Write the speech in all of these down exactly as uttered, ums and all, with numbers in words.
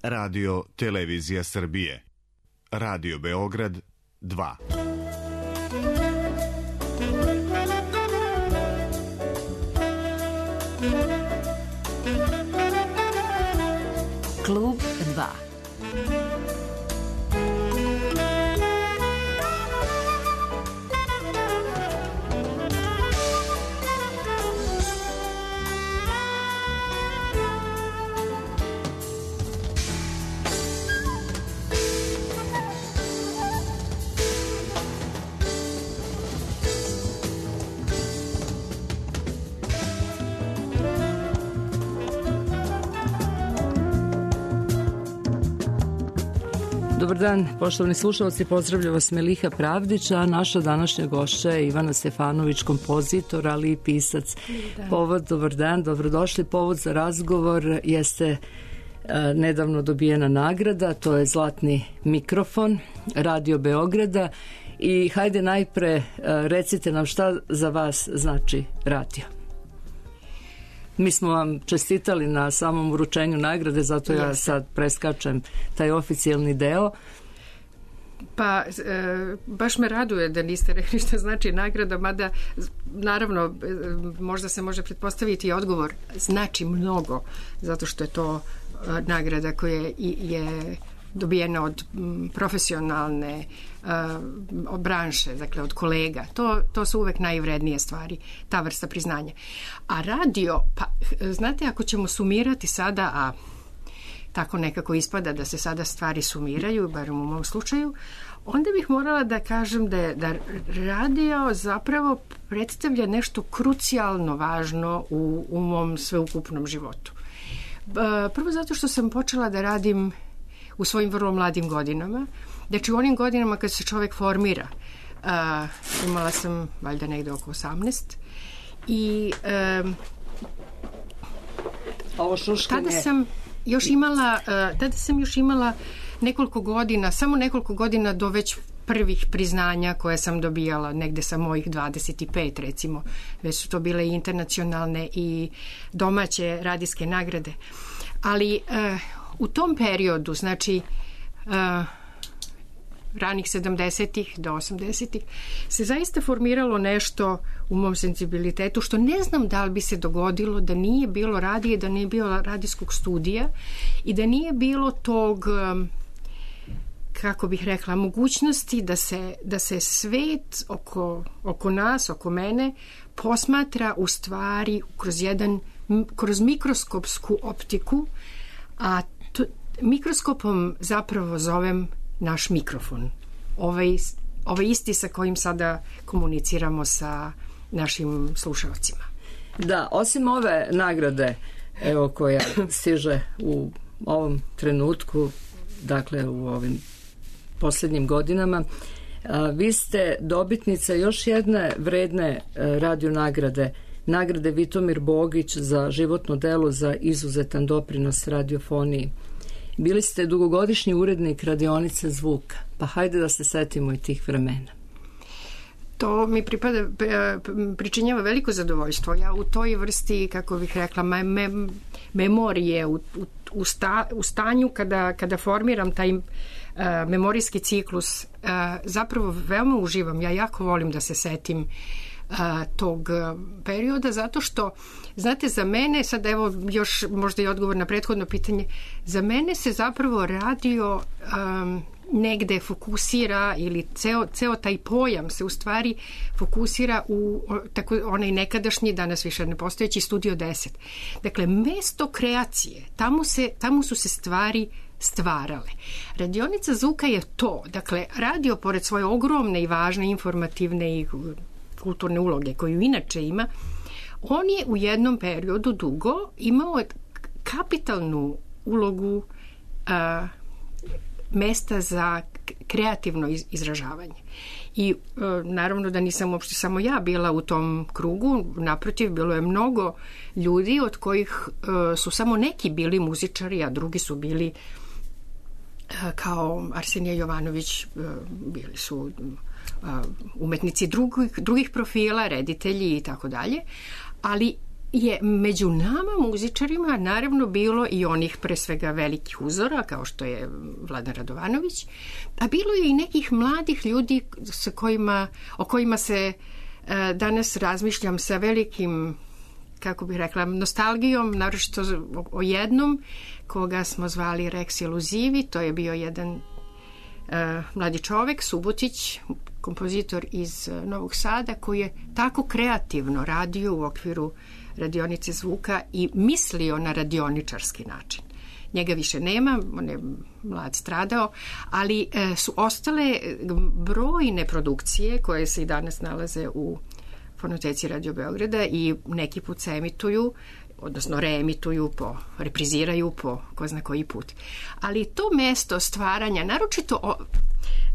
Radio Televizija Srbije. Radio Beograd dva. Klub dva. Dobar dan, poštovani slušalci, pozdravlja vas Meliha Pravdić, a naša današnja gošća je Ivana Stefanović, kompozitor, ali i pisac. Povod, dobar dan, dobrodošli. Povod za razgovor jeste a, nedavno dobijena nagrada, to je Zlatni mikrofon Radio Beograda. I hajde najpre a, recite nam šta za vas znači radio. Mi smo vam čestitali na samom uručenju nagrade, zato ja sad preskačem taj oficijalni deo. Pa, e, baš me raduje da niste rekli šta znači nagrada, mada, naravno, e, možda se može pretpostaviti i odgovor. Znači mnogo, zato što je to e, nagrada koja je, je dobijena od m, profesionalne uh, branše, dakle od kolega. To, to su uvek najvrednije stvari, ta vrsta priznanja. A radio, pa znate, ako ćemo sumirati sada, a tako nekako ispada da se sada stvari sumiraju, bar u mom slučaju, onda bih morala da kažem da, je, da radio zapravo predstavlja nešto krucijalno važno u, u mom sveukupnom životu. Uh, prvo zato što sam počela da radim u svojim vrlo mladim godinama. Znači u onim godinama kad se čovjek formira, uh, imala sam valjda negde oko osamnaest i um, ovo šuškanje. Tada sam još imala uh, tada sam još imala nekoliko godina, samo nekoliko godina do već prvih priznanja koje sam dobijala negde sa mojih dvadeset pet recimo. Već su to bile i internacionalne i domaće radijske nagrade. Ali uh, u tom periodu, znači uh, ranih sedamdesetih do osamdesetih, se zaista formiralo nešto u mom senzibilitetu što ne znam da li bi se dogodilo da nije bilo radije, da nije bilo radijskog studija i da nije bilo tog, um, kako bih rekla, mogućnosti da se, da se svet oko, oko nas, oko mene posmatra u stvari kroz jedan, kroz mikroskopsku optiku, a to, mikroskopom zapravo zovem naš mikrofon. Ovaj, ovaj isti sa kojim sada komuniciramo sa našim slušalcima. Da, osim ove nagrade, evo, koja stiže u ovom trenutku, dakle u ovim posljednjim godinama, a, vi ste dobitnica još jedne vredne a, radio nagrade, nagrade Vitomir Bogić za životno delo za izuzetan doprinos radiofoniji. Bili ste dugogodišnji urednik radionice zvuka, pa hajde da se setimo i tih vremena. To mi pripada, pričinjava veliko zadovoljstvo. Ja u toj vrsti, kako bih rekla, me, me, memorije, u, u, u, sta, u stanju kada, kada formiram taj uh, memorijski ciklus, uh, zapravo veoma uživam. Ja jako volim da se setim uh, tog perioda, zato što, znate, za mene, sad evo još možda i odgovor na prethodno pitanje, za mene se zapravo radio um, negde fokusira ili ceo, ceo taj pojam se u stvari fokusira u tako, onaj nekadašnji, danas više ne postojeći Studio deset. Dakle, mesto kreacije, tamo, se, tamo su se stvari stvarale. Radionica zvuka je to, dakle, radio pored svoje ogromne i važne informativne i kulturne uloge koju inače ima, on je u jednom periodu dugo imao kapitalnu ulogu a, mesta za kreativno izražavanje. I e, naravno da nisam uopšte samo ja bila u tom krugu, naprotiv, bilo je mnogo ljudi od kojih e, su samo neki bili muzičari, a drugi su bili e, kao Arsenije Jovanović, e, bili su e, umetnici drugih, drugih profila, reditelji i tako dalje, ali je među nama muzičarima naravno bilo i onih pre svega velikih uzora kao što je Vladan Radovanović, a bilo je i nekih mladih ljudi sa kojima, o kojima se e, danas razmišljam sa velikim, kako bih rekla, nostalgijom, naročito o, o jednom koga smo zvali Rex Eluzivi. To je bio jedan e, mladi čovek, Subotić, kompozitor iz Novog Sada, koji je tako kreativno radio u okviru radionice zvuka i mislio na radioničarski način. Njega više nema, on je mlad stradao, ali e, su ostale brojne produkcije koje se i danas nalaze u fonoteci Radio Beograda i neki put se emituju, odnosno reemituju, po, repriziraju po ko zna koji put. Ali to mesto stvaranja, naročito o,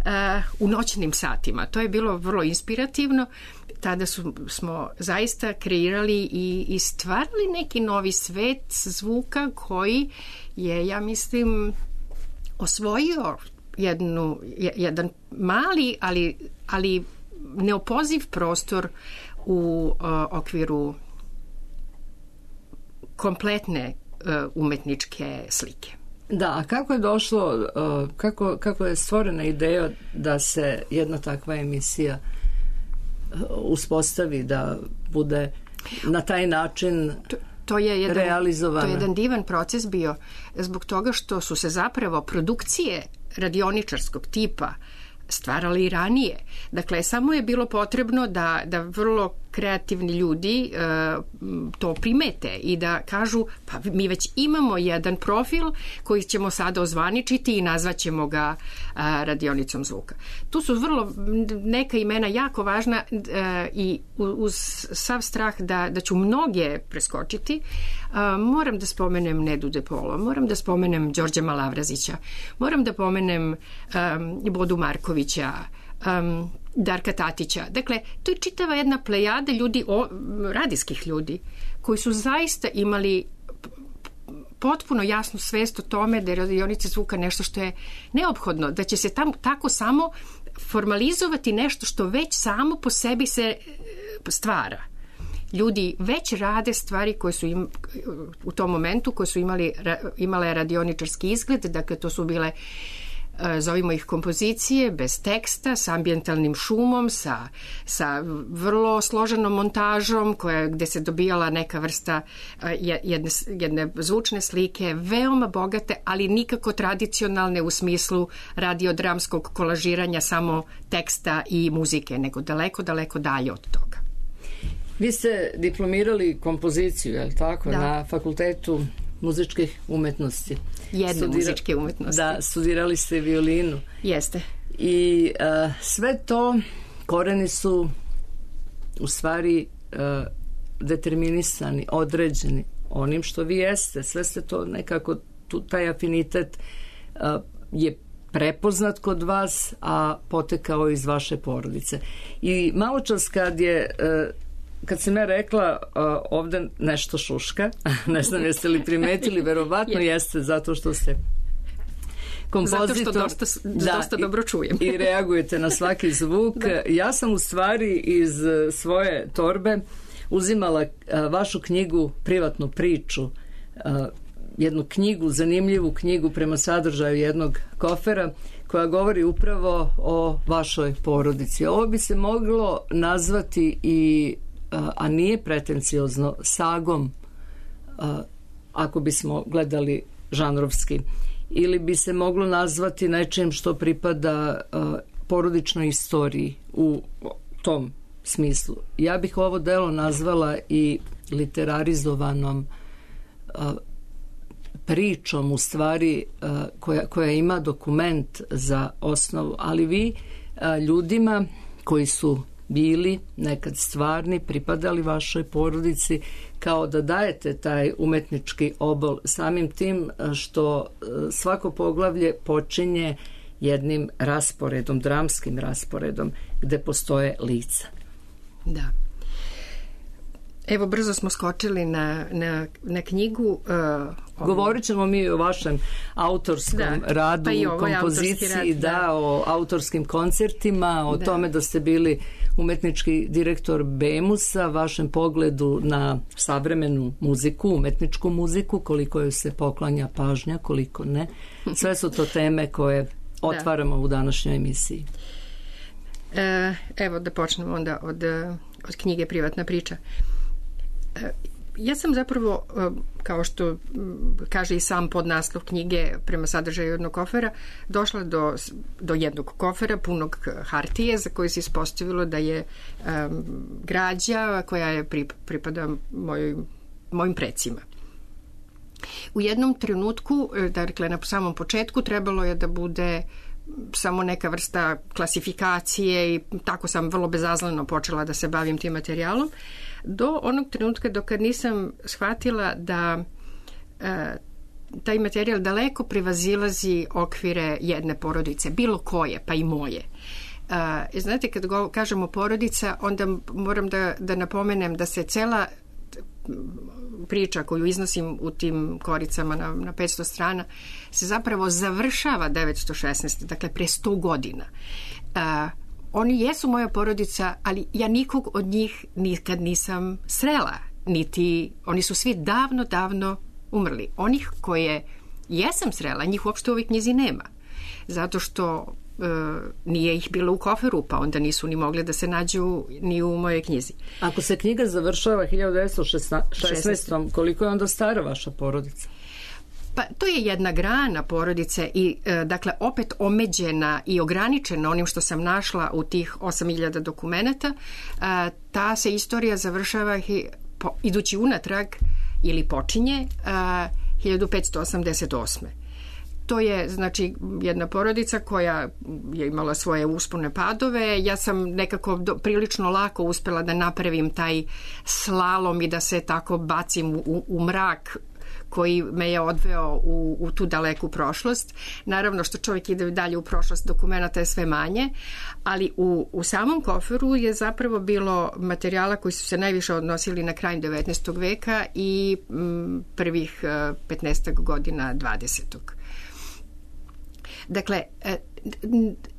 a, u noćnim satima, to je bilo vrlo inspirativno. Tada su, smo zaista kreirali i, i stvarali neki novi svet zvuka koji je, ja mislim, osvojio jednu, jedan mali, ali, ali neopoziv prostor u uh, okviru kompletne uh, umetničke slike. Da, a kako je došlo, uh, kako, kako je stvorena ideja da se jedna takva emisija uh, uspostavi, da bude na taj način to, to je jedan, realizovana? To je jedan divan proces bio zbog toga što su se zapravo produkcije radioničarskog tipa stvarali i ranije. Dakle, samo je bilo potrebno da, da vrlo kreativni ljudi e, to primete i da kažu, pa mi već imamo jedan profil koji ćemo sada ozvaničiti i nazvaćemo ga a, radionicom zvuka. Tu su vrlo neka imena jako važna a, i uz sav strah da, da ću mnoge preskočiti. A, moram da spomenem Nedu De Polo, moram da spomenem Đorđa Malavrazića, moram da pomenem a, Bodu Markovića, um, Darka Tatića. Dakle, to je čitava jedna plejada ljudi, o, radijskih ljudi, koji su zaista imali potpuno jasnu svest o tome da je radionica zvuka nešto što je neophodno, da će se tam tako samo formalizovati nešto što već samo po sebi se stvara. Ljudi već rade stvari koje su im, u tom momentu koje su imali, imale radioničarski izgled, dakle to su bile, zovimo ih kompozicije, bez teksta, sa ambijentalnim šumom, sa, sa vrlo složenom montažom koja, gde se dobijala neka vrsta jedne, jedne zvučne slike, veoma bogate, ali nikako tradicionalne u smislu radiodramskog kolažiranja samo teksta i muzike, nego daleko, daleko dalje od toga. Vi ste diplomirali kompoziciju, je li tako, da, na Fakultetu muzičkih umetnosti. Jedne Studira... muzičke umetnosti. Da, studirali ste violinu. Jeste. I uh, sve to koreni su u stvari uh, determinisani, određeni onim što vi jeste. Sve ste to nekako, tu, taj afinitet uh, je prepoznat kod vas, a potekao iz vaše porodice. I malo čas kad je uh, kad sam ja rekla uh, ovde nešto šuška, ne znam jeste li primetili, verovatno jeste, zato što ste kompozitor. Zato što dosta, da, dosta dobro čujem. I, i reagujete na svaki zvuk. Da. Ja sam u stvari iz svoje torbe uzimala uh, vašu knjigu, privatnu priču, uh, jednu knjigu, zanimljivu knjigu prema sadržaju jednog kofera, koja govori upravo o vašoj porodici. Ovo bi se moglo nazvati i a nije pretenciozno, sagom, ako bismo gledali žanrovski, ili bi se moglo nazvati nečim što pripada porodičnoj istoriji u tom smislu. Ja bih ovo delo nazvala i literarizovanom pričom, u stvari koja, koja ima dokument za osnovu, ali vi ljudima koji su bili nekad stvarni, pripadali vašoj porodici, kao da dajete taj umetnički obol samim tim što svako poglavlje počinje jednim rasporedom, dramskim rasporedom, gde postoje lica. Da. Evo, brzo smo skočili na, na, na knjigu. Uh, Govorit ćemo mi o vašem autorskom da, radu, pa kompoziciji, rad, da. da, o autorskim koncertima, o da. tome da ste bili umetnički direktor Bemusa, vašem pogledu na savremenu muziku, umetničku muziku, koliko joj se poklanja pažnja, koliko ne. Sve su to teme koje otvaramo da. u današnjoj emisiji. E, evo da počnemo onda od, od knjige Privatna priča. E, ja sam zapravo, kao što kaže i sam podnaslov knjige prema sadržaju jednog kofera, došla do, do jednog kofera punog hartije za koji se ispostavilo da je um, građa koja je pripada mojoj, mojim precima. U jednom trenutku, dakle na samom početku, trebalo je da bude samo neka vrsta klasifikacije i tako sam vrlo bezazleno počela da se bavim tim materijalom, do onog trenutka dok nisam shvatila da e, taj materijal daleko prevazilazi okvire jedne porodice, bilo koje, pa i moje. E, znate, kad go, kažemo porodica, onda moram da, da napomenem da se cela priča koju iznosim u tim koricama na, na petsto strana se zapravo završava devetsto šesnaeste. Dakle pre sto godina. Uh, oni jesu moja porodica, ali ja nikog od njih nikad nisam srela, niti oni su svi davno, davno umrli. Onih koje jesam srela, njih uopšte u ovoj knjizi nema. Zato što E, nije ih bilo u koferu, pa onda nisu ni mogli da se nađu ni u mojoj knjizi. Ako se knjiga završava hiljadu devetsto šesnaeste. koliko je onda stara vaša porodica? Pa to je jedna grana porodice i e, dakle opet omeđena i ograničena onim što sam našla u tih osam hiljada dokumenata. E, ta se istorija završava hi, po, idući unatrag ili počinje e, hiljadu petsto osamdeset osme. To je, znači, jedna porodica koja je imala svoje uspone padove. Ja sam nekako do, prilično lako uspela da napravim taj slalom i da se tako bacim u, u mrak koji me je odveo u, u tu daleku prošlost. Naravno što čovjek ide dalje u prošlost, dokumenta je sve manje, ali u, u samom koferu je zapravo bilo materijala koji su se najviše odnosili na kraj devetnaestog veka i m, prvih petnaestak godina dvadesetog. Dakle,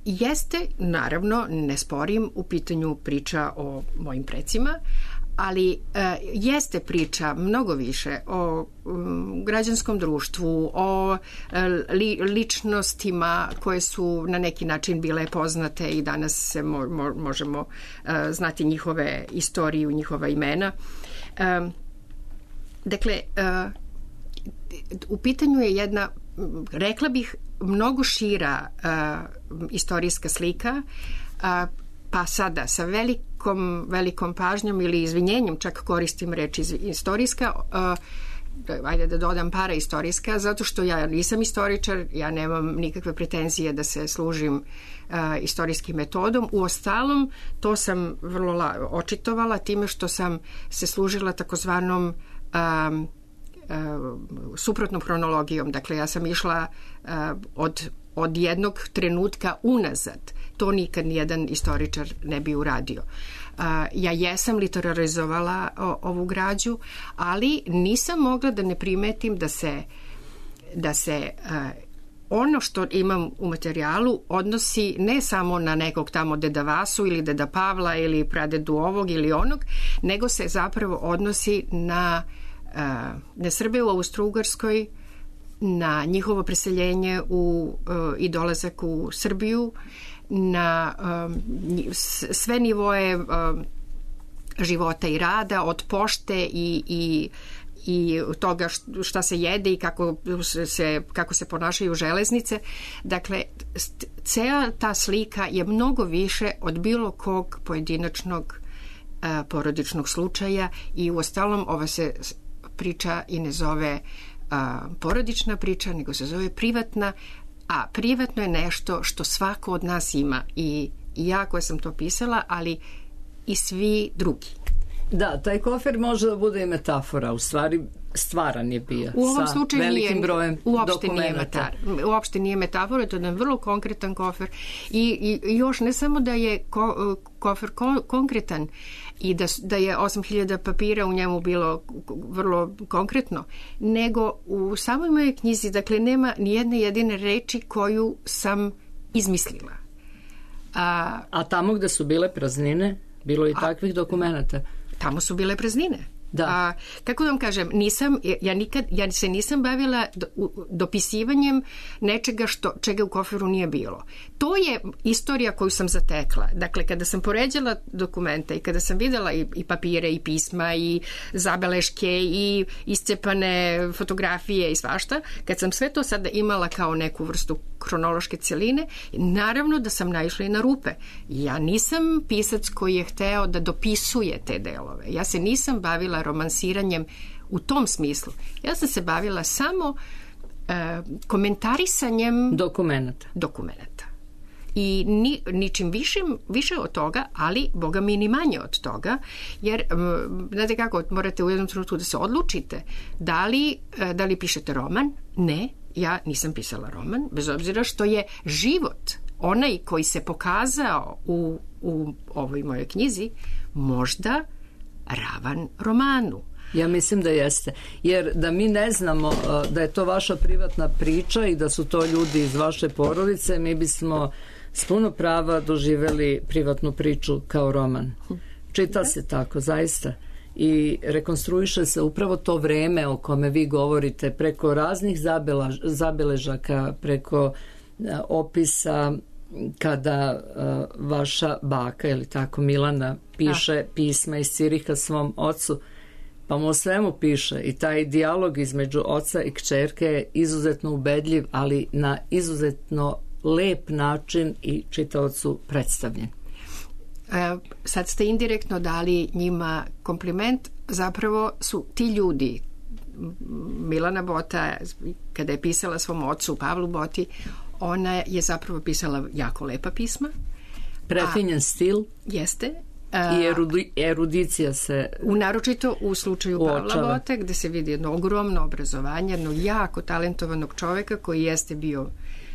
jeste, naravno, ne sporim, u pitanju priča o mojim precima, ali jeste priča mnogo više o građanskom društvu, o li, ličnostima koje su na neki način bile poznate i danas se mo, mo, možemo znati njihove istoriju, njihova imena. Dakle, u pitanju je jedna, rekla bih, mnogo šira uh, istorijska slika, uh, pa sada sa velikom, velikom pažnjom ili izvinjenjem, čak koristim reč istorijska, uh, ajde da dodam paraistorijska, zato što ja nisam istoričar, ja nemam nikakve pretenzije da se služim uh, istorijskim metodom. Uostalom, to sam vrlo la- očitovala time što sam se služila takozvanom um, suprotnom hronologijom. Dakle, ja sam išla uh, od, od jednog trenutka unazad. To nikad nijedan istoričar ne bi uradio. Uh, ja jesam literarizovala o, ovu građu, ali nisam mogla da ne primetim da se, da se uh, ono što imam u materijalu odnosi ne samo na nekog tamo deda Vasu ili deda Pavla ili pradedu ovog ili onog, nego se zapravo odnosi na na Srbe u Austro-Ugarskoj, na njihovo preseljenje u, i dolazak u Srbiju, na um, sve nivoe um, života i rada, od pošte i, i, i toga šta se jede i kako se, kako se ponašaju železnice. Dakle, cela ta slika je mnogo više od bilo kog pojedinačnog uh, porodičnog slučaja i uostalom ova se priča i ne zove a, porodična priča, nego se zove privatna, a privatno je nešto što svako od nas ima i, i ja koja sam to pisala, ali i svi drugi. Da, taj kofer može da bude i metafora, u stvari stvaran je bio u ovom sa slučaju velikim nije, brojem uopšte nije, dokumenata. Metar, uopšte nije metafora, to je jedan vrlo konkretan kofer i, i još ne samo da je ko, kofer ko, konkretan i da, da je osam hiljada papira u njemu bilo vrlo konkretno, nego u samoj mojoj knjizi, dakle, nema ni jedne jedine reči koju sam izmislila. A, A tamo gde su bile praznine? bilo je i takvih dokumenata. Tamo su bile praznine. Da. A, kako da vam kažem, nisam, ja, nikad, ja se nisam bavila do, u, dopisivanjem nečega što, čega u koferu nije bilo. To je istorija koju sam zatekla. Dakle, kada sam poređala dokumenta i kada sam videla i, i papire i pisma i zabeleške i iscepane fotografije i svašta, kad sam sve to sada imala kao neku vrstu hronološke celine, naravno da sam naišla i na rupe. Ja nisam pisac koji je hteo da dopisuje te delove. Ja se nisam bavila romansiranjem u tom smislu. Ja sam se bavila samo e, komentarisanjem dokumenata. dokumenata. I ni, ničim višim, više od toga, ali boga mi ni manje od toga, jer znate kako, morate u jednom trenutku da se odlučite da li, da li pišete roman. Ne, ja nisam pisala roman, bez obzira što je život, onaj koji se pokazao u, u ovoj mojoj knjizi, možda ravan romanu. Ja mislim da jeste, jer da mi ne znamo da je to vaša privatna priča i da su to ljudi iz vaše porodice, mi bismo s puno prava doživeli privatnu priču kao roman. Čita se tako, zaista. I rekonstruiše se upravo to vreme o kome vi govorite preko raznih zabela, zabeležaka, preko a, opisa kada a, vaša baka, ili tako, Milana, piše da. pisma iz Ciriha svom ocu, pa mu o svemu piše i taj dijalog između oca i kćerke je izuzetno ubedljiv, ali na izuzetno lep način i čitaocu predstavljen. E, sad ste indirektno dali njima kompliment. Zapravo su ti ljudi, Milana Bota, kada je pisala svom ocu Pavlu Boti, ona je zapravo pisala jako lepa pisma. Prefinjen stil. Jeste. I erudi, erudicija se u naročito u slučaju uočava. Pavla Bote, gde se vidi jedno ogromno obrazovanje, jedno jako talentovanog čoveka koji jeste bio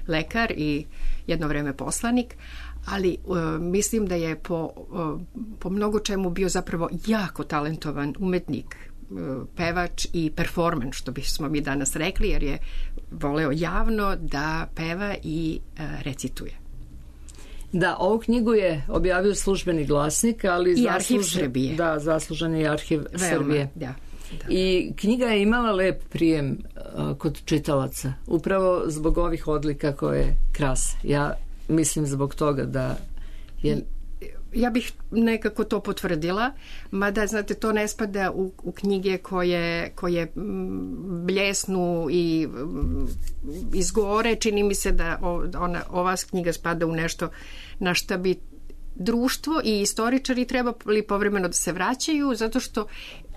lekar i jedno vreme poslanik, ali uh, mislim da je po, uh, po mnogo čemu bio zapravo jako talentovan umetnik, uh, pevač i performer, što bismo mi danas rekli, jer je voleo javno da peva i uh, recituje. Da, ovu knjigu je objavio Službeni glasnik, ali i zaslužen, Arhiv Srbije. Da, zaslužen je Arhiv Veoma, Srbije. Da, da. I knjiga je imala lep prijem uh, kod čitalaca, upravo zbog ovih odlika koje krase. Ja mislim zbog toga da je... Ja bih nekako to potvrdila, mada, znate, to ne spada u, u knjige koje, koje bljesnu i izgore. Čini mi se da ona, ova knjiga spada u nešto na šta bi društvo i istoričari trebali povremeno da se vraćaju, zato što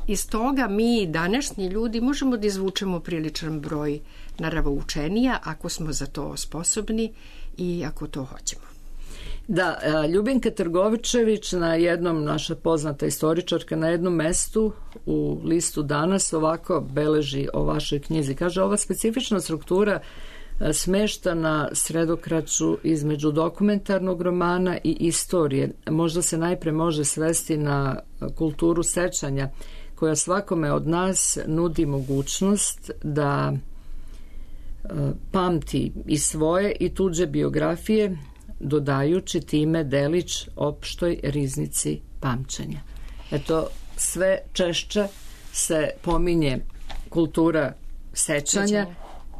iz toga mi, današnji ljudi, možemo da izvučemo priličan broj naravoučenija ako smo za to sposobni i ako to hoćemo. Da, Ljubinka Trgovičević na jednom, naša poznata istoričarka, na jednom mestu u listu Danas ovako beleži o vašoj knjizi. Kaže, ova specifična struktura smešta na sredokraću između dokumentarnog romana i istorije. Možda se najpre može svesti na kulturu sećanja, koja svakome od nas nudi mogućnost da pamti i svoje i tuđe biografije, dodajući time delić opštoj riznici pamćenja. Eto, sve češće se pominje kultura sećanja,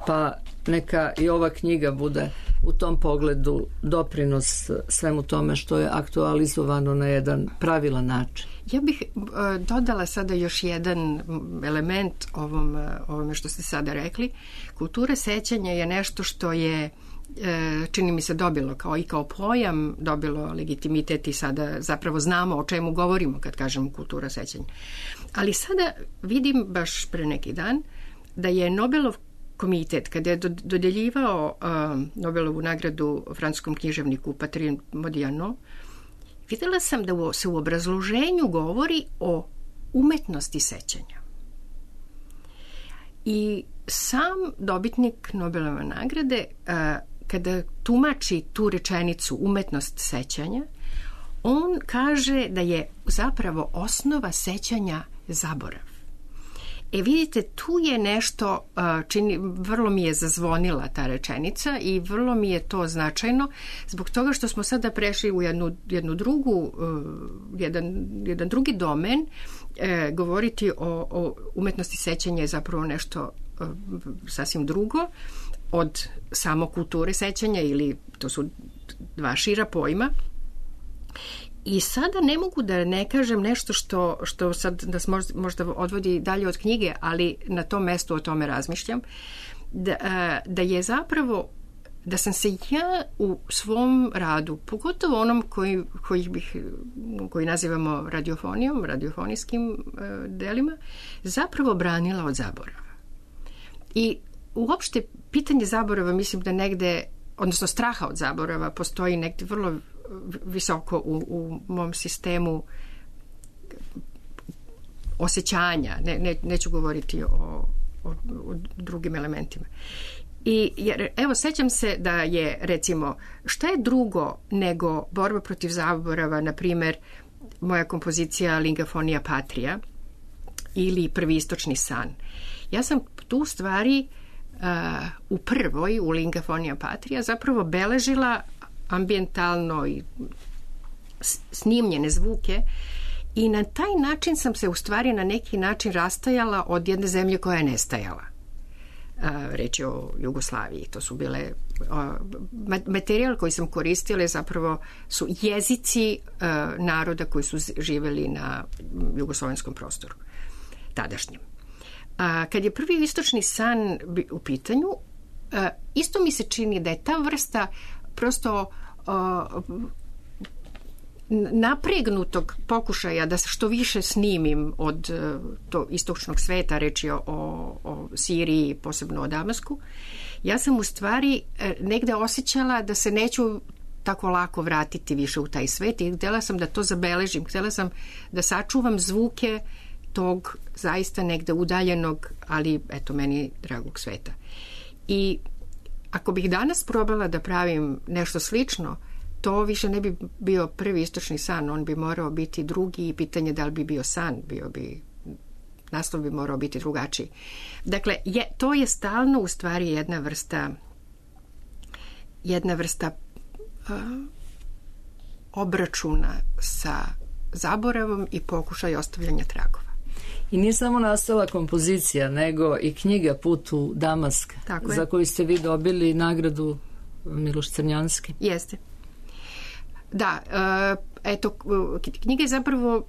pa neka i ova knjiga bude u tom pogledu doprinos svemu tome što je aktualizovano na jedan pravilan način. Ja bih uh, dodala sada još jedan element ovom, uh, ovome što ste sada rekli. Kultura sećanja je nešto što je, uh, čini mi se, dobilo kao i kao pojam, dobilo legitimitet i sada zapravo znamo o čemu govorimo kad kažemo kultura sećanja. Ali sada vidim baš pre neki dan da je Nobelov komitet, kada je dodeljivao uh, Nobelovu nagradu francuskom književniku Patrice Modiano, videla sam da se u obrazloženju govori o umetnosti sećanja. I sam dobitnik Nobelove nagrade, uh, kada tumači tu rečenicu umetnost sećanja, on kaže da je zapravo osnova sećanja zaborav. E vidite, tu je nešto, čini, vrlo mi je zazvonila ta rečenica i vrlo mi je to značajno zbog toga što smo sada prešli u jednu, jednu drugu, jedan, jedan drugi domen. E, govoriti o, o umetnosti sećanja je zapravo nešto e, sasvim drugo od samo kulture sećanja, ili to su dva šira pojma. I sada ne mogu da ne kažem nešto što, što sad nas možda odvodi dalje od knjige, ali na tom mestu o tome razmišljam, da, da je zapravo, da sam se ja u svom radu, pogotovo onom koji, koji, bih, koji nazivamo radiofonijom, radiofonijskim delima, zapravo branila od zaborava. I uopšte pitanje zaborava, mislim da negde, odnosno straha od zaborava, postoji negde vrlo visoko u, u mom sistemu osjećanja. Ne, ne, neću govoriti o, o, o drugim elementima. I jer, evo, sećam se da je, recimo, šta je drugo nego borba protiv zaborava, na primer, moja kompozicija Lingafonija Patria ili Prvi istočni san. Ja sam tu stvari uh, u prvoj, u Lingafonija Patria, zapravo beležila ambijentalno i snimljene zvuke i na taj način sam se u stvari na neki način rastajala od jedne zemlje koja je nestajala. Reč je o Jugoslaviji. To su bile materijal koji sam koristila zapravo su jezici naroda koji su živeli na jugoslovenskom prostoru tadašnjem. Kad je Prvi istočni san u pitanju, isto mi se čini da je ta vrsta prosto uh, napregnutog pokušaja da se što više snimim od uh, to istočnog sveta, reći o, o Siriji, posebno o Damasku, ja sam u stvari uh, negde osjećala da se neću tako lako vratiti više u taj svet i htjela sam da to zabeležim, htjela sam da sačuvam zvuke tog zaista negde udaljenog, ali eto meni dragog sveta. I ako bih danas probala da pravim nešto slično, to više ne bi bio Prvi istočni san, on bi morao biti drugi i pitanje da li bi bio san, bio bi, naslov bi morao biti drugačiji. Dakle, je, to je stalno u stvari jedna vrsta jedna vrsta uh, obračuna sa zaboravom i pokušaj ostavljanja tragova. I nije samo nastala kompozicija, nego i knjiga Put u Damask, za koju ste vi dobili nagradu Miloš Crnjanski. Jeste. Da, eto, knjiga je zapravo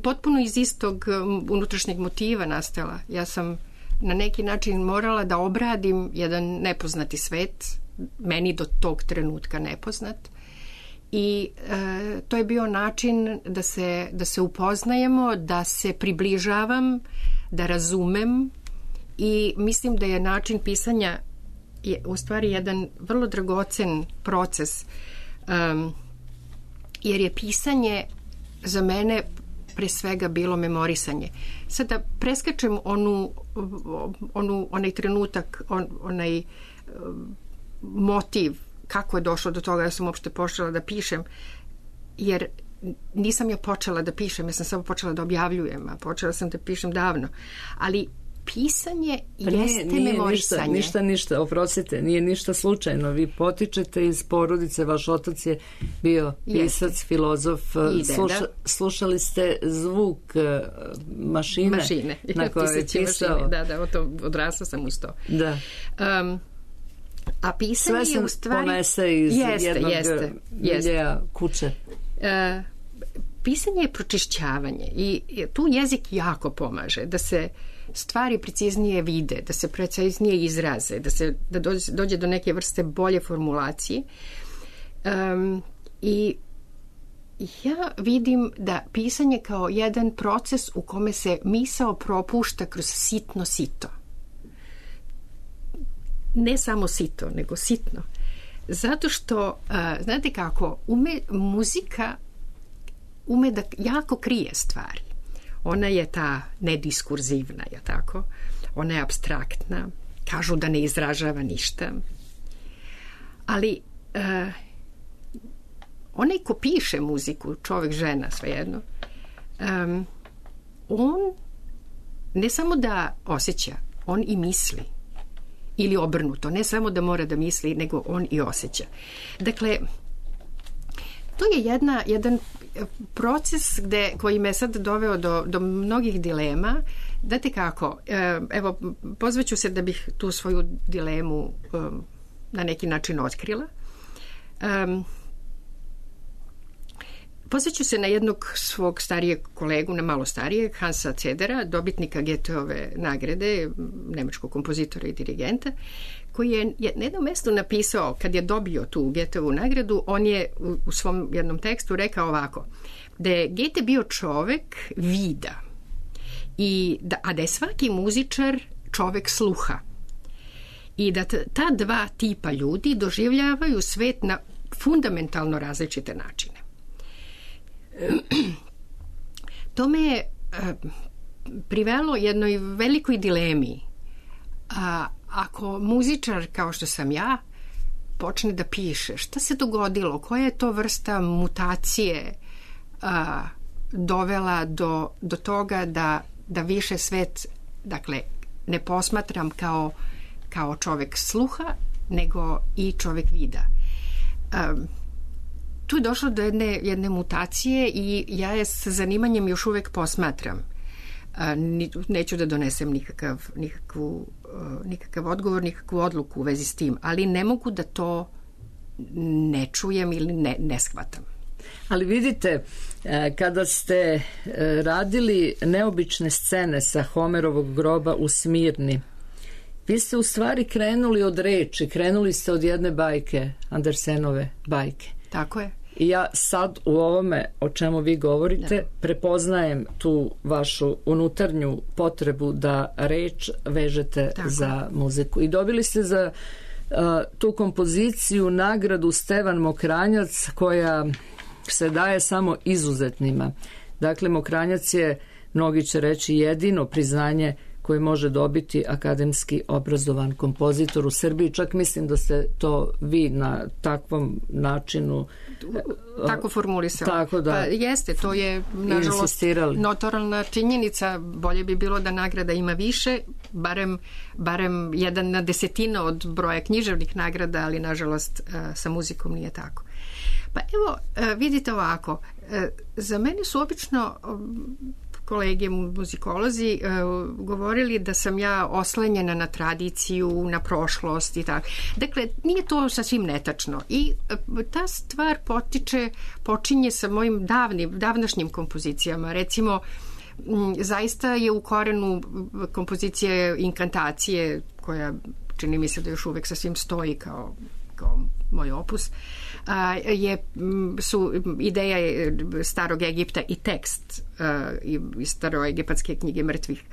potpuno iz istog unutrašnjeg motiva nastala. Ja sam na neki način morala da obradim jedan nepoznati svet, meni do tog trenutka nepoznat. I e, to je bio način da se, da se upoznajemo, da se približavam, da razumem i mislim da je način pisanja je u stvari jedan vrlo dragocen proces, um, jer je pisanje za mene pre svega bilo memorisanje. Sada preskačem onu, onu, onaj trenutak, on, onaj um, motiv kako je došlo do toga da sam uopšte počela da pišem, jer nisam ja počela da pišem, ja sam samo počela da objavljujem, a počela sam da pišem davno. Ali pisanje pa jeste nije, nije memorisanje. Ništa, ništa, ništa, oprostite, nije ništa slučajno. Vi potičete iz porodice, vaš otac je bio pisac, jeste. Filozof. Sluša, slušali ste zvuk mašine, mašine. na kojoj je pisao. Mašine. Da, da, to, odrasla sam uz to. Da. Um, A pisanje sve je u stvari... ponese iz jeste, jednog jeste, miljeja kuće. E, pisanje je pročišćavanje i tu jezik jako pomaže da se stvari preciznije vide, da se preciznije izraze, da se da dođe, dođe do neke vrste bolje formulacije. Um, I ja vidim da pisanje kao jedan proces u kome se misao propušta kroz sitno sito. Ne samo sito, nego sitno. Zato što, uh, znate kako, ume, muzika ume da jako krije stvari. Ona je ta nediskurzivna, je tako? Ona je apstraktna. Kažu da ne izražava ništa. Ali uh, onaj ko piše muziku, čovjek, žena, svejedno, um, on ne samo da osjeća, on i misli. Ili obrnuto, ne samo da mora da misli, nego on i osjeća. Dakle, to je jedna, jedan proces gde, koji me sad doveo do, do mnogih dilema. Date kako, evo, pozvaću se da bih tu svoju dilemu um, na neki način otkrila. Um, pozvaću se na jednog svog starijeg kolegu, na malo starijeg, Hansa Zedera, dobitnika Goetheove nagrade, nemačkog kompozitora i dirigenta, koji je na jednom mestu napisao, kad je dobio tu Goetheovu nagradu, on je u, u svom jednom tekstu rekao ovako, da je Goethe bio čovek vida, i da, a da je svaki muzičar čovek sluha. I da ta dva tipa ljudi doživljavaju svet na fundamentalno različite načine. To me je privelo jednoj velikoj dilemi. A, ako muzičar, kao što sam ja, počne da piše, šta se dogodilo, koja je to vrsta mutacije a, dovela do, do toga da, da više svet, dakle, ne posmatram kao, kao čovek sluha, nego i čovek vida. Um, tu je došlo do jedne, jedne mutacije i ja je sa zanimanjem još uvek posmatram. Uh, neću da donesem nikakav, nikakvu, uh, nikakav odgovor, nikakvu odluku u vezi s tim, ali ne mogu da to ne čujem ili ne, ne shvatam. Ali vidite, kada ste radili neobične scene sa Homerovog groba u Smirni, vi ste u stvari krenuli od reči, krenuli ste od jedne bajke, Andersenove bajke. Tako je. I ja sad u ovome o čemu vi govorite, da, prepoznajem tu vašu unutarnju potrebu da reč vežete tako za muziku. I dobili ste za uh, tu kompoziciju nagradu Stevan Mokranjac, koja se daje samo izuzetnima. Dakle, Mokranjac je, mnogi će reći, jedino priznanje koje može dobiti akademski obrazovan kompozitor u Srbiji. Čak mislim da ste to vi na takvom načinu tako formulisali. Tako da, pa jeste, to je nažalost notoralna činjenica. Bolje bi bilo da nagrada ima više, barem, barem jedan na desetina od broja književnih nagrada, ali nažalost sa muzikom nije tako. Pa evo, vidite ovako, za mene su obično kolege muzikolozi uh, govorili da sam ja oslanjena na tradiciju, na prošlost i tako. Dakle, nije to sasvim netačno. I uh, ta stvar potiče, počinje sa mojim davnim, davnašnjim kompozicijama. Recimo, m, zaista je u korenu kompozicije Inkantacije, koja čini mi se da još uvek sasvim stoji kao, kao moj opus, a, je, su ideja starog Egipta i tekst a, iz staroegipatske knjige mrtvih.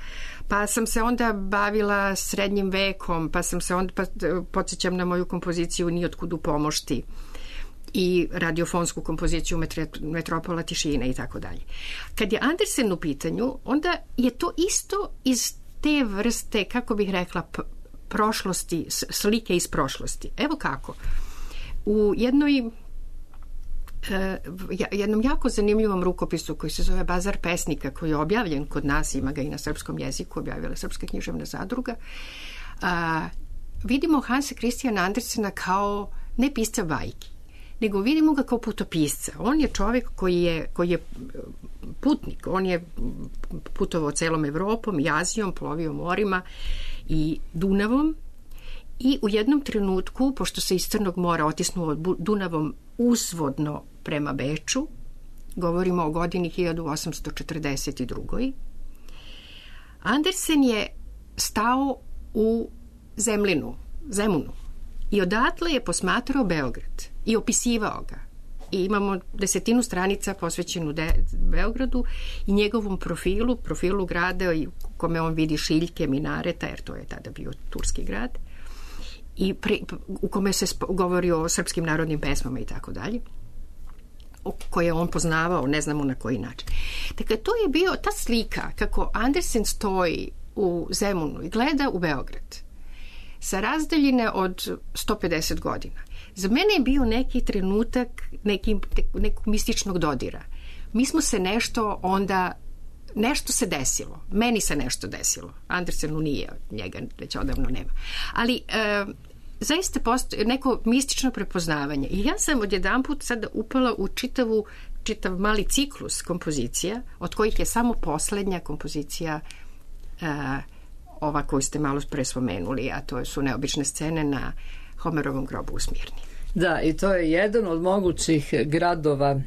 Pa sam se onda bavila srednjim vekom, pa sam se onda, pa, podsjećam na moju kompoziciju Nijotkud u pomošti i radiofonsku kompoziciju Metropola tišine i tako dalje. Kad je Andersen u pitanju, onda je to isto iz te vrste, kako bih rekla, prošlosti, slike iz prošlosti. Evo kako. U jednoj jednom jako zanimljivom rukopisu koji se zove Bazar pesnika, koji je objavljen kod nas, ima ga i na srpskom jeziku, objavila Srpska književna zadruga, a, vidimo Hansa Christiana Andersena kao ne pisca bajki, nego vidimo ga kao putopisca. On je čovjek koji je, koji je putnik, on je putovao celom Evropom i Azijom, plovio morima i Dunavom, i u jednom trenutku, pošto se iz Crnog mora otisnuo Dunavom uzvodno prema Beču, govorimo o godini hiljadu osamsto četrdeset druge. Andersen je stao u Zemlinu, Zemunu, i odatle je posmatrao Beograd i opisivao ga. I imamo desetinu stranica posvećenu de, Beogradu i njegovom profilu, profilu grada i kome on vidi šiljke, minareta, jer to je tada bio turski grad, i pre, u kome se spo, govori o srpskim narodnim pesmama i tako dalje, koje on poznavao, ne znamo na koji način. Dakle, to je bio ta slika kako Andersen stoji u Zemunu i gleda u Beograd sa razdaljine od sto pedeset godina. Za mene je bio neki trenutak neki, nekog mističnog dodira. Mi smo se nešto onda nešto se desilo. Meni se nešto desilo. Andersenu nije, njega već odavno nema. Ali e, zaista postoji neko mistično prepoznavanje. I ja sam odjedanput sada upala u čitavu, čitav mali ciklus kompozicija, od kojih je samo poslednja kompozicija e, ova koju ste malo pre spomenuli, a to su neobične scene na Homerovom grobu u Smirni. Da, i to je jedan od mogućih gradova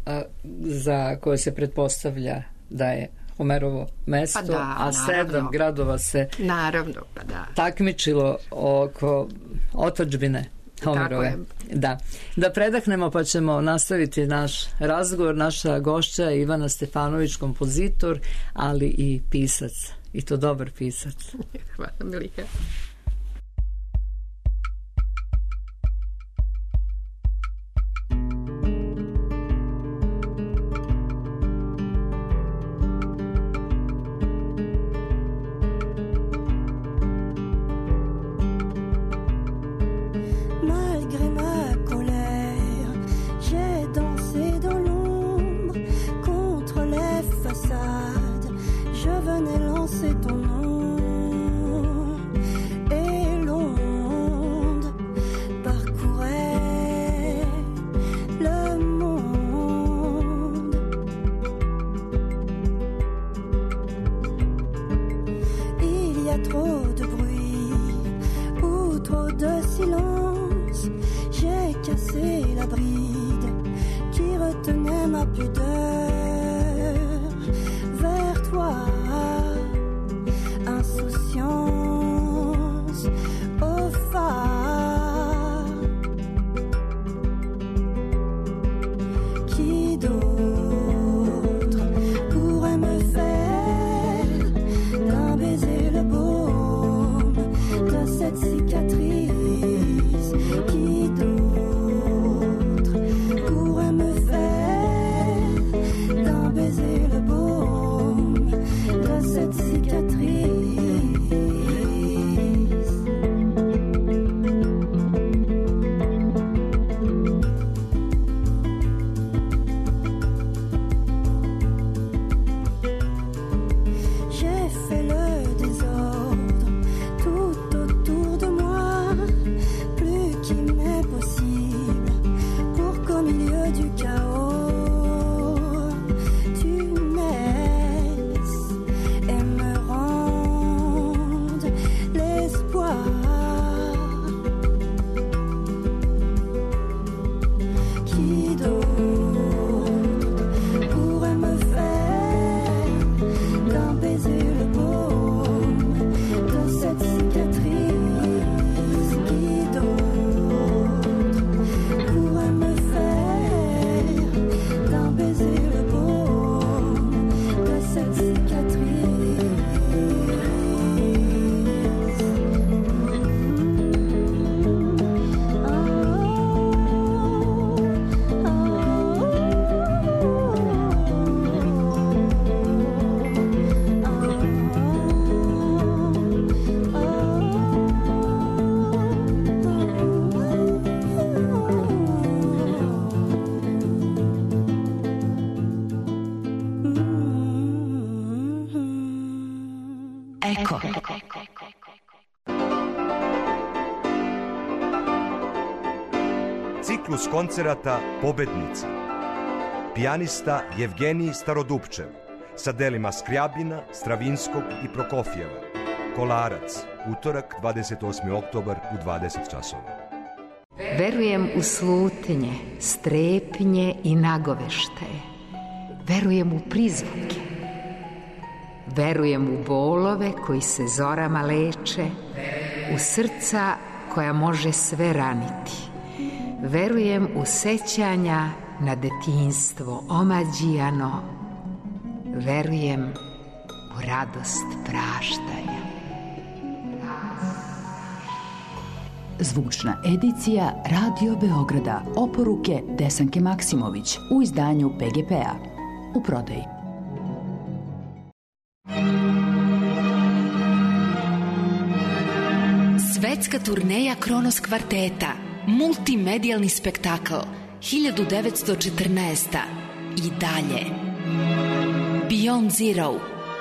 a, za koje se pretpostavlja da je Homerovo mesto, pa da, a naravno. sedam gradova se naravno, pa da. takmičilo oko otadžbine Homerove. Da. Da predahnemo pa ćemo nastaviti naš razgovor. Naša gošća je Ivana Stefanović, kompozitor, ali i pisac. I to dobar pisac. Hvala, Miliha. Ciklus koncerata Pobednici. Pijanista Jevgenij Starodupčev sa delima Skrjabina, Stravinskog i Prokofjeva. Kolarac, utorak dvadeset osmi oktobar u dvadeset časova. Verujem u slutnje, strepnje i nagoveštaje. Verujem u prizvuke. Verujem u bolove koji se zorama leče, u srca koja može sve raniti. Verujem u sećanja na detinjstvo omađijano. Verujem u radost praštanja. Zvučna edicija Radio Beograda, oporuke Desanke Maksimović u izdanju P G P-a. U prodaji. Svetska turneja Kronos kvarteta, multimedijalni spektakl, hiljadu devetsto četrnaesta. I dalje. Beyond Zero,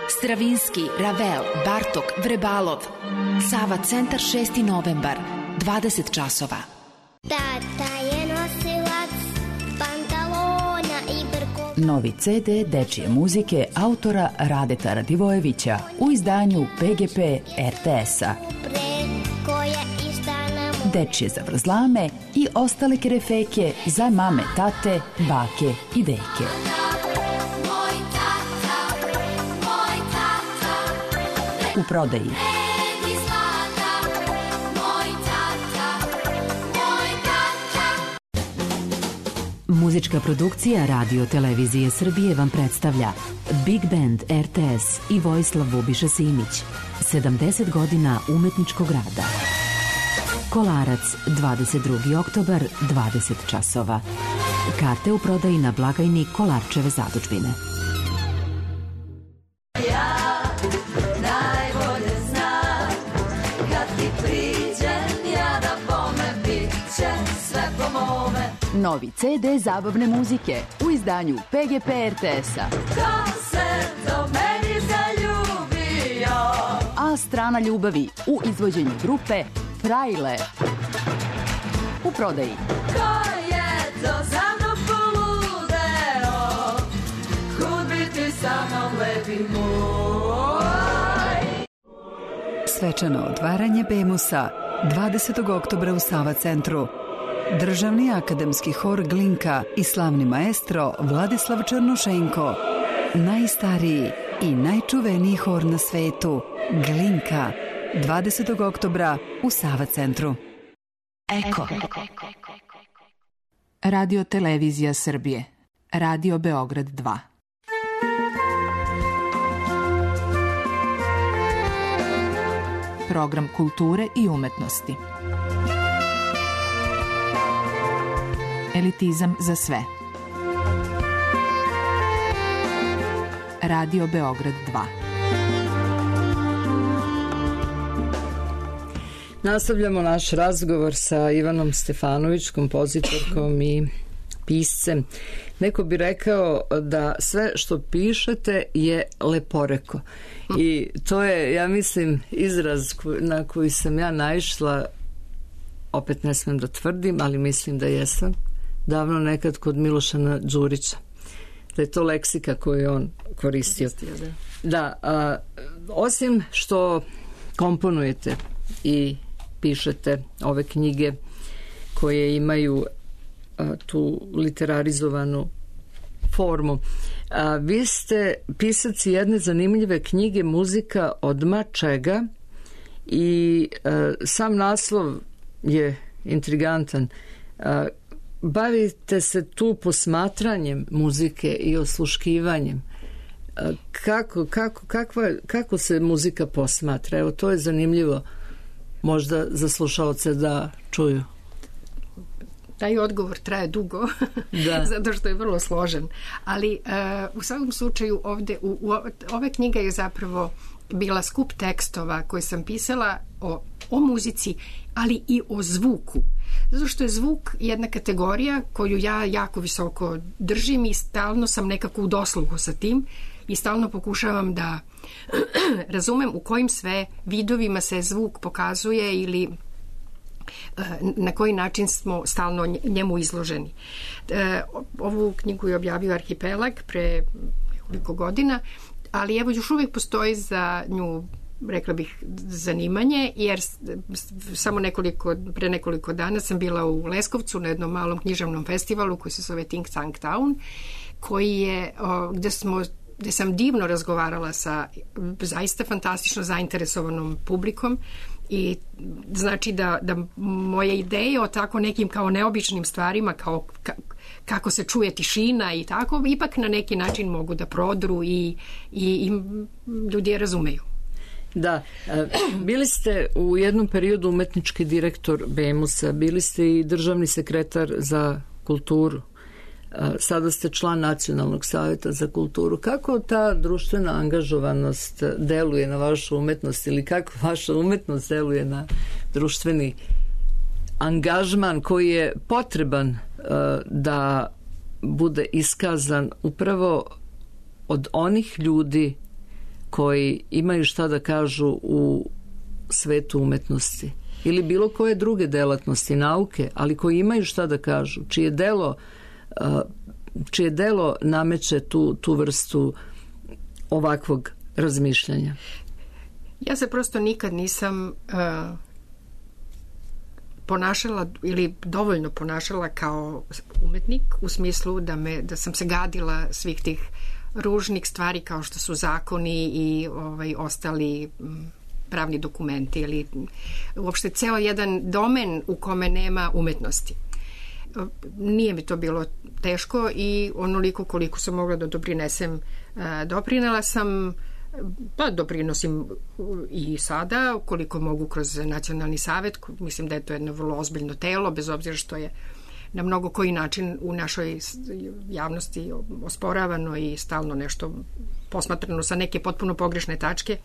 Stravinski, Ravel, Bartok, Vrebalov. Sava centar šesti novembar, dvadeset časova. Tata je nosilac pantalona i brko. Novi ce de dečije muzike autora Radeta Radivojevića u izdanju pe ge pe er te esa. Dečije zavrzlame i ostale kerefeke za mame, tate, bake i deke. U prodaji muzička produkcija Radio Televizije Srbije vam predstavlja Big Band er te es i Vojislav Bubiša Simić. sedamdeset godina umetničkog rada. Kolarac, dvadeset drugi oktobar, dvadeset časova. Karte u prodaji na blagajni Kolarčeve zadužbine. Novi ce de zabavne muzike u izdanju pe ge pe er te esa. Ko se do meni zaljubio? A strana ljubavi u izvođenju grupe Frajle. U prodaji. Ko je to za mnom poludeo? Kud bi ti sa mnom lepi moj? Svečano otvaranje Bemusa dvadesetog oktobra u Sava centru. Državni akademski hor Glinka i slavni maestro Vladislav Černošenko. Najstariji i najčuveniji hor na svetu, Glinka, dvadesetog oktobra u Sava centru. Eko. Radio Televizija Srbije. Radio Beograd dva. Program kulture i umetnosti. Elitizam za sve. Radio Beograd dva. Nastavljamo naš razgovor sa Ivanom Stefanović, kompozitorkom i piscem. Neko bi rekao da sve što pišete je leporeko. I to je, ja mislim, izraz na koji sam ja naišla, opet ne smem da tvrdim, ali mislim da jesam, davno nekad kod Milošana Đurića. Da je to leksika koju je on koristio. Da, a, osim što komponujete i pišete ove knjige koje imaju a, tu literarizovanu formu, a, vi ste pisac jedne zanimljive knjige Muzika odma čega i a, sam naslov je intrigantan. A, bavite se tu posmatranjem muzike i osluškivanjem. Kako, kako, kakva, kako se muzika posmatra? Evo, to je zanimljivo možda za slušaoce da čuju. Taj odgovor traje dugo, da. Zato što je vrlo složen. Ali uh, u svakom slučaju ovde, u, u, ove knjiga je zapravo bila skup tekstova koje sam pisala o, o muzici, ali i o zvuku. Zato što je zvuk jedna kategorija koju ja jako visoko držim i stalno sam nekako u dosluhu sa tim i stalno pokušavam da razumem u kojim sve vidovima se zvuk pokazuje ili na koji način smo stalno njemu izloženi. Ovu knjigu je objavio Arhipelag pre nekoliko godina, ali evo još uvijek postoji za nju, rekla bih, zanimanje, jer samo nekoliko, pre nekoliko dana sam bila u Leskovcu na jednom malom književnom festivalu koji se zove Think Tank Town, koji je, gde smo gde sam divno razgovarala sa zaista fantastično zainteresovanom publikom i znači da, da moje ideje o tako nekim kao neobičnim stvarima, kao ka, kako se čuje tišina i tako, ipak na neki način mogu da prodru i, i, i ljudi je razumeju. Da, bili ste u jednom periodu umetnički direktor Bemusa, bili ste i državni sekretar za kulturu. Sada ste član Nacionalnog savjeta za kulturu. Kako ta društvena angažovanost deluje na vašu umetnost ili kako vaša umetnost deluje na društveni angažman koji je potreban uh, da bude iskazan upravo od onih ljudi koji imaju šta da kažu u svetu umetnosti ili bilo koje druge delatnosti, nauke, ali koji imaju šta da kažu, čije delo, čije delo nameće tu, tu vrstu ovakvog razmišljanja? Ja se prosto nikad nisam uh, ponašala ili dovoljno ponašala kao umetnik u smislu da, me, da sam se gadila svih tih ružnih stvari kao što su zakoni i ovaj, ostali pravni dokumenti ili uopšte ceo jedan domen u kome nema umetnosti. Nije mi to bilo teško i onoliko koliko sam mogla da doprinesem, doprinela sam, pa doprinosim i sada koliko mogu kroz Nacionalni savet. Mislim da je to jedno vrlo ozbiljno telo, bez obzira što je na mnogo koji način u našoj javnosti osporavano i stalno nešto posmatrano sa neke potpuno pogrešne tačke.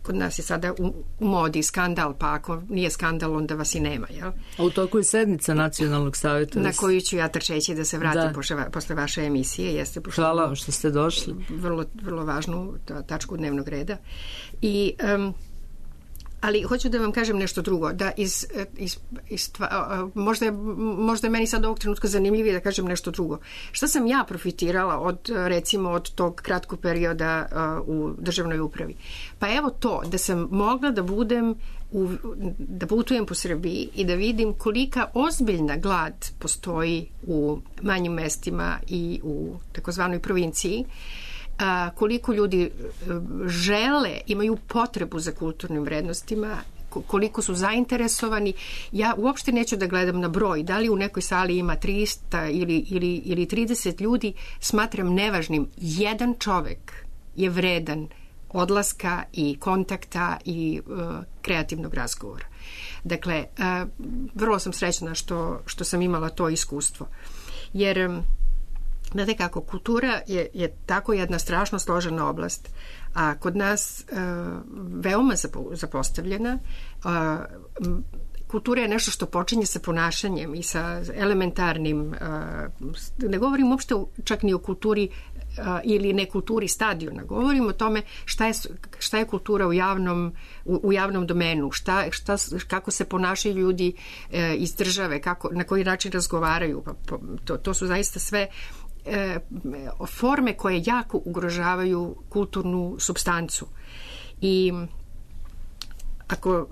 Kod nas je sada u, u modi skandal, pa ako nije skandal, onda vas i nema. Jel? A u toku je sednica Nacionalnog savjeta. Na koju ću ja trčeći da se vratim posle, posle vaše emisije. Jeste Hvala što ste došli. Vrlo, vrlo važnu tačku dnevnog reda. I... Um, ali hoću da vam kažem nešto drugo, da iz, iz, iz možda, je, možda je meni sad ovog trenutka zanimljivije da kažem nešto drugo. Šta sam ja profitirala od, recimo, od tog kratkog perioda uh, u državnoj upravi? Pa evo to, da sam mogla da budem u, da putujem po Srbiji i da vidim kolika ozbiljna glad postoji u manjim mestima i u takozvanoj provinciji, a, koliko ljudi žele, imaju potrebu za kulturnim vrednostima, koliko su zainteresovani. Ja uopšte neću da gledam na broj, da li u nekoj sali ima trista ili, ili, ili trideset ljudi, smatram nevažnim. Jedan čovek je vredan odlaska i kontakta i uh, kreativnog razgovora. Dakle, uh, vrlo sam srećna što, što sam imala to iskustvo. Jer um, znate kako, kultura je, je tako jedna strašno složena oblast, a kod nas uh, veoma zapostavljena. Uh, kultura je nešto što počinje sa ponašanjem i sa elementarnim, uh, ne govorim uopšte čak ni o kulturi uh, ili nekulturi stadiona, govorim o tome šta je, šta je kultura u javnom, u, u javnom domenu, šta, šta, kako se ponašaju ljudi uh, iz države, kako, na koji način razgovaraju. Pa, to, to su zaista sve forme koje jako ugrožavaju kulturnu supstancu. I ako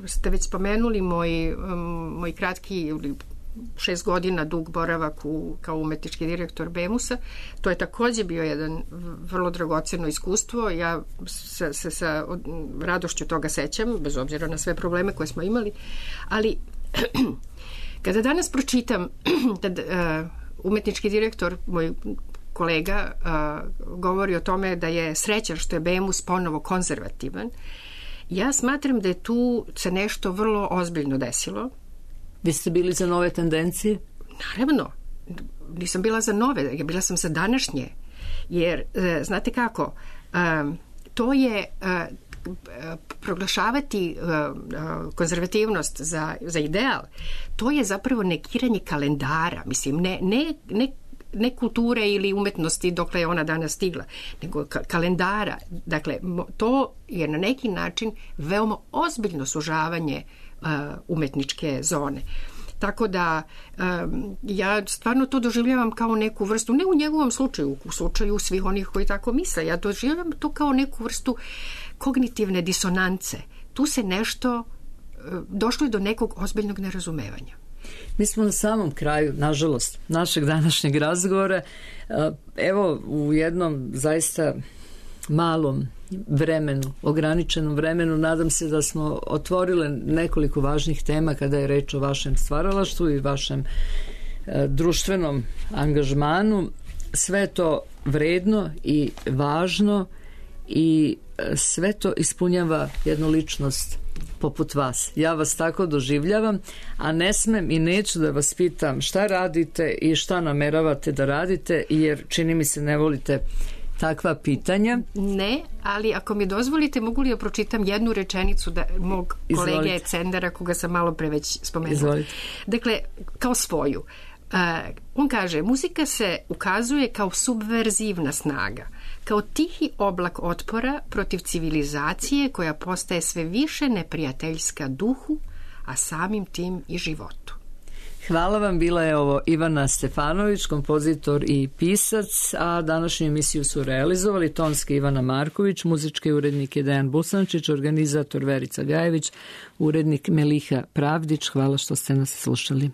ste već spomenuli moj, moj kratki šest godina dug boravak u, kao umetnički direktor Bemusa, to je takođe bio jedan vrlo dragoceno iskustvo. Ja se, se sa radošću toga sećam, bez obzira na sve probleme koje smo imali, ali kada danas pročitam da umetnički direktor, moj kolega, uh, govori o tome da je srećan što je Bemus ponovo konzervativan. Ja smatram da je tu se nešto vrlo ozbiljno desilo. Vi ste bili za nove tendencije? Naravno. Nisam bila za nove, bila sam za današnje. Jer, uh, znate kako, um, to je... Uh, proglašavati uh, konzervativnost za, za ideal, to je zapravo nekiranje kalendara, mislim, ne, ne, ne, ne kulture ili umetnosti dokle je ona danas stigla, nego ka- kalendara. Dakle, to je na neki način veoma ozbiljno sužavanje uh, umetničke zone. Tako da um, ja stvarno to doživljavam kao neku vrstu, ne u njegovom slučaju, u slučaju svih onih koji tako misle, ja doživljavam to kao neku vrstu kognitivne disonance. Tu se nešto, došlo je do nekog ozbiljnog nerazumevanja. Mi smo na samom kraju, nažalost, našeg današnjeg razgovora. Evo, u jednom zaista malom vremenu, ograničenom vremenu, nadam se da smo otvorile nekoliko važnih tema kada je reč o vašem stvaralaštvu i vašem e, društvenom angažmanu. Sve to vredno i važno i sve to ispunjava jednu ličnost poput vas. Ja vas tako doživljavam, a ne smem i neću da vas pitam šta radite i šta nameravate da radite, jer čini mi se ne volite takva pitanja. Ne, ali ako mi dozvolite, mogu li da pročitam jednu rečenicu da, mog kolege Cendara, koga sam malo pre već spomenula. Izvolite. Dakle, kao svoju. On kaže, muzika se ukazuje kao subverzivna snaga, kao tihi oblak otpora protiv civilizacije koja postaje sve više neprijateljska duhu, a samim tim i životu. Hvala vam, bila je ovo Ivana Stefanović, kompozitor i pisac, a današnju emisiju su realizovali tonski Ivana Marković, muzički urednik je Dejan Busančić, organizator Verica Gajević, urednik Meliha Pravdić. Hvala što ste nas slušali.